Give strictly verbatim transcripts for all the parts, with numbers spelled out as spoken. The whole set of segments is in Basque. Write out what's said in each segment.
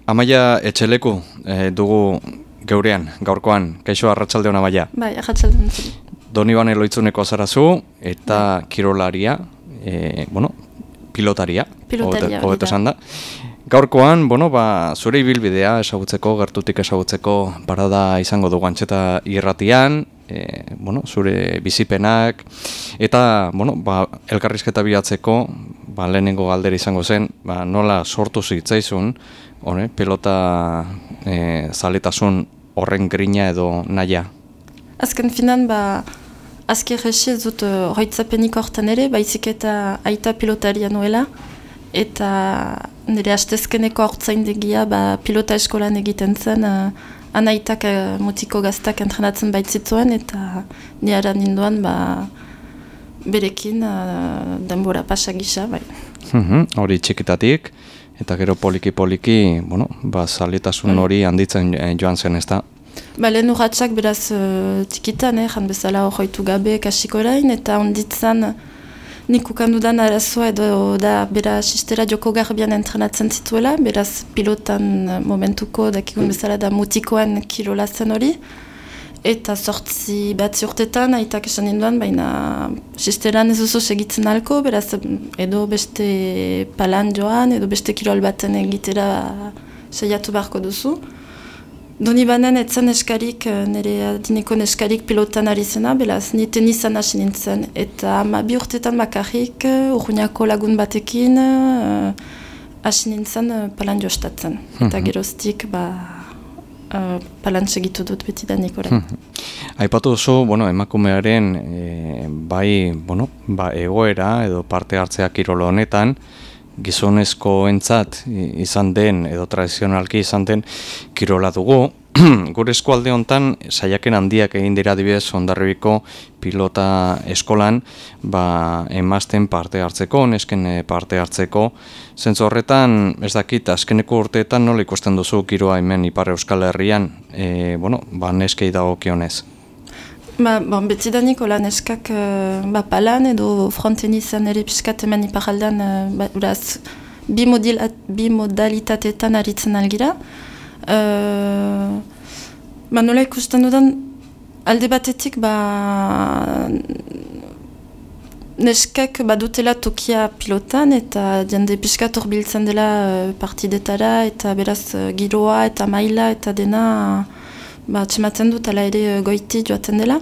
Amaia Etxeleku e, dugu geurean, gaurkoan, kaixo arratsaldeon Amaia. Bai, arratsaldeon. Donibane Loitzuneko zarazu eta bai. Kirolaria, e, bueno, pilotaria, pilotaria hobeto esan da. Gaurkoan, bueno, ba, zure ibilbidea ezagutzeko, gertutik ezagutzeko parada izango dugu Antxeta irratian, e, bueno, zure bizipenak, eta, bueno, ba, elkarrizketa bilatzeko, ba, lehenengo galdera izango zen, ba, nola sortu zitzaizun, hone, pelota e, zaletasun horren grina edo naia? Azken finan, ba, azker hesi ez dut hoitzapenik hortan ere, baizik eta aita pilotaria nuela, eta nire hastezkeneko hortzaindegia ba, pilota eskolan egiten zen, uh, anaitak uh, mutiko gaztak entrenatzen baitzituen, eta niara ninduan ba, berekin uh, denbora pasa gisa. Bai. Hori txikitatik, eta gero poliki-poliki, bueno, ba, zaletasun hori handitzen joan zen, ez da? Ba, lehen urratxak beraz uh, txikitan, eh, jan bezala horretu gabe kasiko orain, eta onditzan nik ukandudan arazoa edo da bera sistera joko garbian entrenatzen zituela, beraz pilotan momentuko dakigun bezala da mutikoan kirola zen hori. Eta sortzi batzi urtetan, aitak esan ninduan, baina sisteran ez oso segitzen alko, beraz edo beste palan joan, edo beste kirol baten egitera saiatu beharko duzu. Donibanen etzen eskarik, nire adineko eskarik pilotan ari zena, beraz, ni tenisan hasi nintzen. Eta ma bi urtetan bakarrik, urruñako lagun batekin, hasi uh, nintzen uh, palan jostatzen. Mm-hmm. Eta geroztik, ba, uh, palan segitu dut beti da nikoren. Mm-hmm. Aipatu oso, bueno, emakumearen e, bai, bueno, ba, egoera edo parte hartzea kirolo honetan, gizonezko entzat izan den, edo tradizionalki izan den, kirola dugu. Gure eskualde honetan, saiaken handiak egin dira adibidez Hondarribiko pilota eskolan, ba, emazten parte hartzeko, nesken parte hartzeko. Zentzu horretan, ez dakit, azkeneko urteetan nola ikusten duzu kiroa hemen Ipar Euskal Herrian, e, bueno, ba, neskei dagokionez. Ba, bon, betidanik hola neskak uh, ba, palan edo fronten izan ere piskat hemen iparaldean uh, ba, uraz, bi, bi modalitateetan aritzen algira. Uh, ba, nola ikusten dudan alde batetik ba, neskak badutela tokia pilotan eta jende piskat horbiltzen dela uh, partidetara eta beraz uh, giroa eta maila eta dena ba, txematen dut ala ere goiti joaten dela.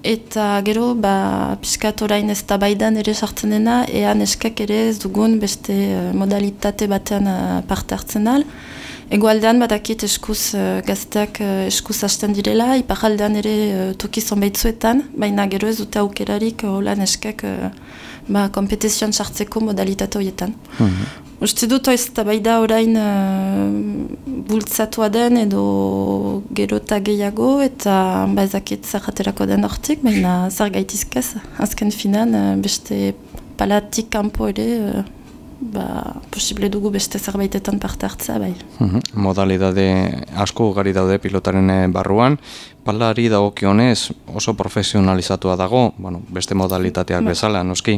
Eta gero, ba, piskat orain ez tabaidan ere sartzen dena, ea neskak ere ez dugun beste uh, modalitate batean uh, parte hartzen al. Egoaldean badakit eskuz uh, gazteak uh, eskuz hasten direla, iparaldean ere uh, toki zonbaitzuetan, baina gero ez dute aukerarik uh, hola neskak uh, ba, kompetizioan sartzeko modalitate horietan. Mm-hmm. Uste dut ez tabaida orain uh, bultzatua den edo gero eta gehiago eta ba, ezakit zarraterako den hortik, baina zar gaitizkaz, azken finan uh, beste palatik kanpo ere uh, ba, posible dugu beste zerbaitetan parte hartzea bai. Mm-hmm. Modalidade asko ugari daude pilotaren barruan, palari dagokionez oso profesionalizatua dago, bueno, beste modalitateak ba. Bezala, noski.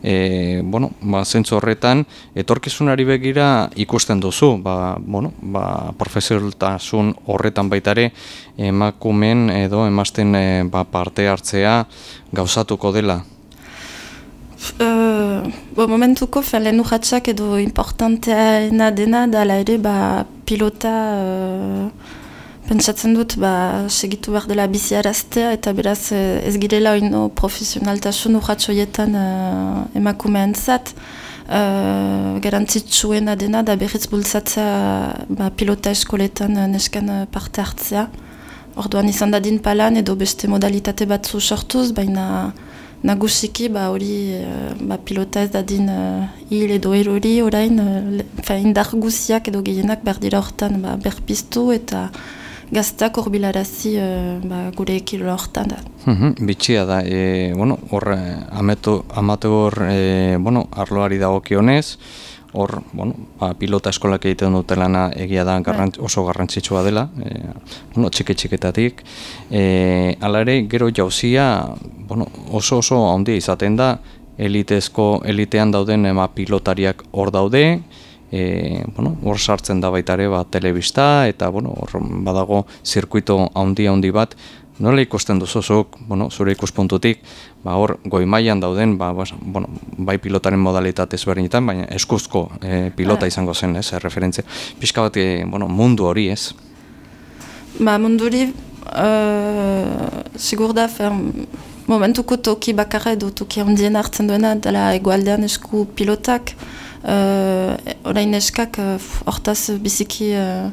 E, bueno, ba, zentzu horretan, etorkizunari begira ikusten duzu, ba, bueno, ba, profesionaltasun horretan baitare emakumen edo emazten e, ba, parte hartzea gauzatuko dela. Uh, bo, momentuko lehen urratxak edo importanteena dena dala ere ba, pilota uh, pentsatzen dut ba, segitu behar dela biziaraztea eta beraz ez girela oino profesionaltasun urratxoietan uh, emakumeen zat. Uh, garantzitsuena dena da berriz bultzatzea ba, pilota eskoletan uh, nesken uh, parte hartzea. Orduan izan dadin palan edo beste modalitate batzu sortuz, baina nagusiki ba hori ba, pilota ez dadin uh, hil edo erori orain uh, indar guziak edo gehienak behar dira hortan ba, berpiztu eta gaztak horbilarazi uh, ba, gure ekilo hortan da. Mm-hmm, bitxia da, e, bueno, hor amateur e, bueno, arloari dagokionez, hor, bueno, ba, pilota eskolak egiten dute lana egia da garrantz, oso garrantzitsua dela, e, bueno, txike-txiketatik. E, Hala ere, gero jauzia, bueno, oso oso handia izaten da, elitezko, elitean dauden ema pilotariak hor daude, e, bueno, hor sartzen da baita ere ba, telebista, eta bueno, hor badago zirkuito handi handi bat. Nola ikusten duzuzuk, bueno, zure ikuspuntutik, ba, hor goi mailan dauden, ba, bas, bueno, bai pilotaren modalitate ezberdinetan, baina eskuzko e, pilota izango zen, ez, referentzia. Pixka bat, e, bueno, mundu hori, ez? Ba, mundu hori, uh, sigur da, fer, momentuko toki bakarra edo toki handien hartzen duena, dela egualdean esku pilotak, uh, orain eskak hortaz uh, biziki uh,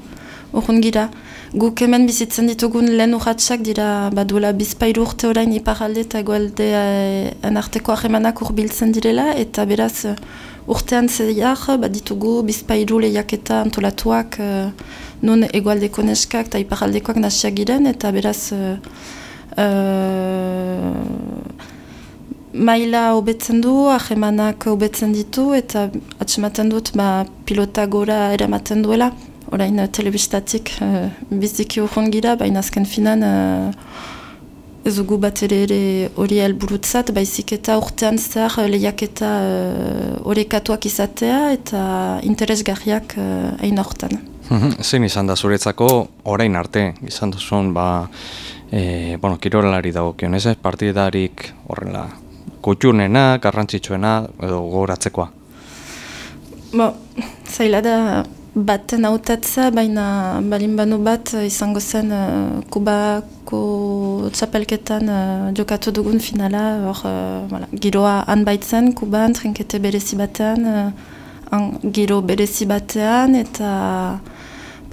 urrun gira. Guk hemen bizitzen ditugun lehen urratsak dira baduela bizpairu urte orain iparralde eta egualdean arteko harremanak hurbiltzen direla, eta beraz urtean zehar bat ditugu bizpairu lehiaketa antolatuak uh, non egualdeko neskak eta iparraldekoak nasiak giren, eta beraz uh, uh, maila hobetzen du, harremanak hobetzen ditu, eta atsematen dut ba, pilota gora eramaten duela. Orain uh, telebistatik uh, biziki urrun gira, baina azken finan uh, ez dugu bat ere ere hori helburutzat, baizik eta urtean zehar lehiaketa orekatuak uh, izatea eta interesgarriak hain uh, hortan. Zein izan da zuretzako orain arte, izan duzun, ba, e, bueno, kirolari dagokion, ez ez, partidarik horrela, kutxunena, garrantzitsuena, edo gogoratzekoa? Bo, zaila da baten hautatza, baina balin banu bat izango zen uh, Kubako txapelketan uh, jokatu dugun finala, hor, uh, voilà, giroa han baitzen, Kuban, trinkete berezi batean, uh, giro berezi batean, eta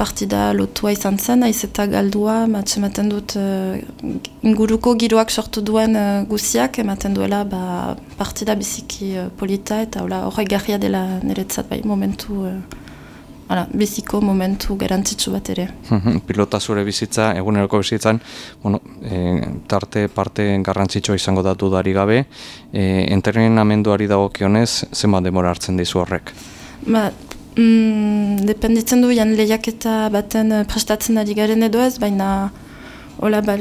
partida lotua izan zen, aiz eta galdua, ematen dut uh, inguruko giroak sortu duen uh, guziak, ematen duela ba, partida biziki uh, polita, eta horrek garria dela niretzat bai momentu uh, Hala, biziko momentu garantzitsu bat ere. Pilota zure bizitza, eguneroko bizitzan, bueno, e, tarte parte garrantzitsua izango datu dari gabe, e, entrenamenduari dagokionez, zenbat demora hartzen dizu horrek? Ba, mm, dependitzen du jan lehiaketa baten prestatzen ari garen edo ez, baina hola, ba,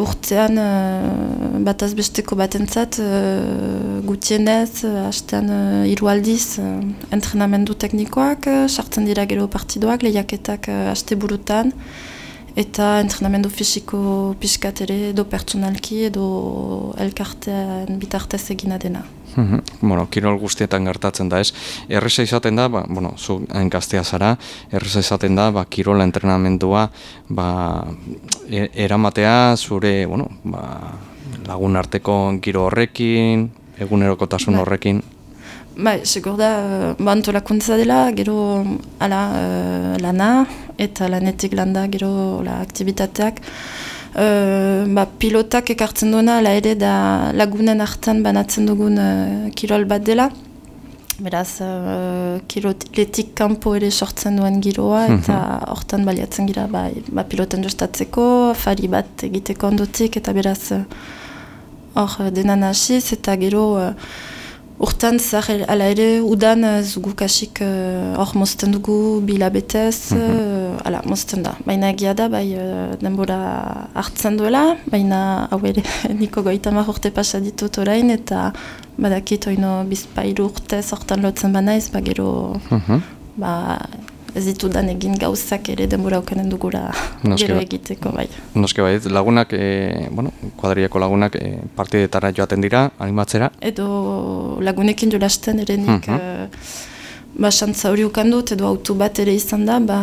urtean uh, bataz besteko batentzat uh, gutienez, uh, hastean uh, hiru aldiz uh, entrenamendu teknikoak, uh, sartzen dira gero partidoak, lehiaketak uh, haste burutan, eta entrenamendu fisiko pixkat ere edo pertsonalki edo elkartean bitartez egina dena. Mm-hmm. Bueno, kirol guztietan gertatzen da, ez? Erreza izaten da, ba, bueno, zu gaztea zara, erreza izaten da, ba, kirola entrenamendua, ba, e eramatea zure, bueno, ba, lagun arteko giro horrekin, egunerokotasun horrekin. Bai, segur da, ba, antolakuntza dela, gero ala, uh, lana, eta lanetik landa, gero la, aktivitateak. Uh, ba, pilotak ekartzen duena, ala ere da lagunen hartan banatzen dugun uh, kirol bat dela. Beraz, uh, kiroletik kanpo ere sortzen duen giroa, eta hortan baliatzen gira ba, ba, piloten jostatzeko, afari bat egiteko ondotik, eta beraz hor uh, denan hasiz, eta gero uh, urtan zahar, ala ere, udan zugu kasik hor uh, mozten dugu bilabetez, uh, ala, mozten da. Baina egia da, bai uh, denbora hartzen duela, baina hau ere niko goitamar urte pasa ditut orain, eta badakit oino bizpairu urte hortan lotzen banaiz, ba gero ba, ez ditudan egin gauzak ere denbora okanen dugula gero egiteko, bai. Noske bai, lagunak, e, bueno, kuadriako lagunak e, partidetara joaten dira, animatzera? Edo lagunekin jolasten ere nik, uh -huh. ba, xantza hori ukandut, edo auto bat ere izan da, ba,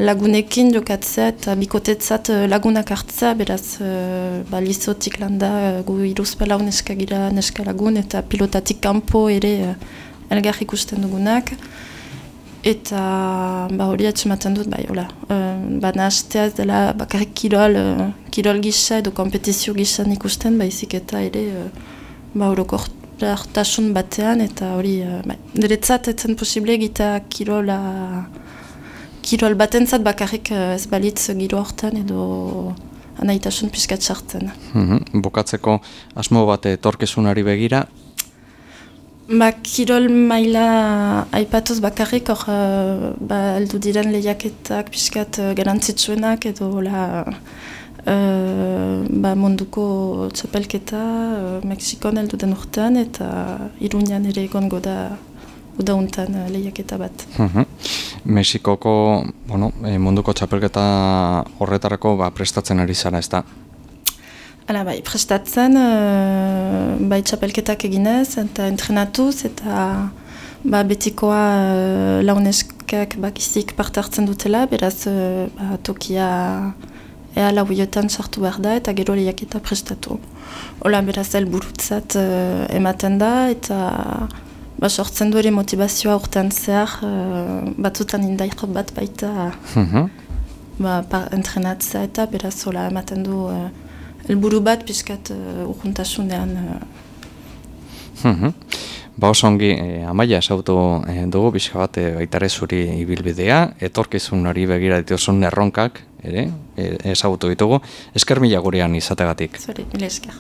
lagunekin jokatzea eta bikotetzat lagunak hartzea, beraz, ba, lizotik landa, gu iruzpalau neska gira neska lagun, eta pilotatik kanpo ere elgar ikusten dugunak. Eta ba, hori atxematen dut, bai, hola. Uh, ba, nahazteaz dela bakarrik kirol, uh, kirol gisa edo kompetizio gisan ikusten, baizik eta ere uh, ba, orokortasun batean, eta hori, uh, bai, niretzat etzen posible egita kirola, kirol batentzat bakarrik uh, ez balitz giro hortan edo anaitasun pixkat sartzen. Mm-hmm. Bukatzeko asmo bat etorkizunari begira? Ba, kirol maila aipatuz bakarrik, hor, uh, ba, aldu diren lehiaketak pixkat uh, garantzitsuenak edo la, uh, ba, munduko txapelketa uh, Mexikon aldu den urtean, eta Iruñan ere egongo da udauntan uh, lehiaketa bat. Mm-hmm. Mexikoko, bueno, e, munduko txapelketa horretarako ba, prestatzen ari zara, ez da? Hala, bai, prestatzen, uh, bai txapelketak eginez, eta entrenatuz, eta ba, betikoa uh, launeskak bakizik parte hartzen dutela, beraz uh, ba, tokia ea lauiotan sartu behar da, eta gero lehiaketa prestatu. Hola, beraz helburutzat uh, ematen da, eta ba, sortzen du ere motivazioa urtean zehar, uh, batzutan indaik bat baita Mhm. ba, par, entrenatzea, eta beraz hola ematen du uh, helburu bat pixkat uh, urjuntasunean. Uh. Mhm. Ba oso ongi, eh, Amaia esautu eh, dugu pixka bat eh, baitare zuri ibilbidea, etorkizunari begira dituzun erronkak ere eh, ezagutu ditugu, esker mila gurean izategatik. Zori, mila esker.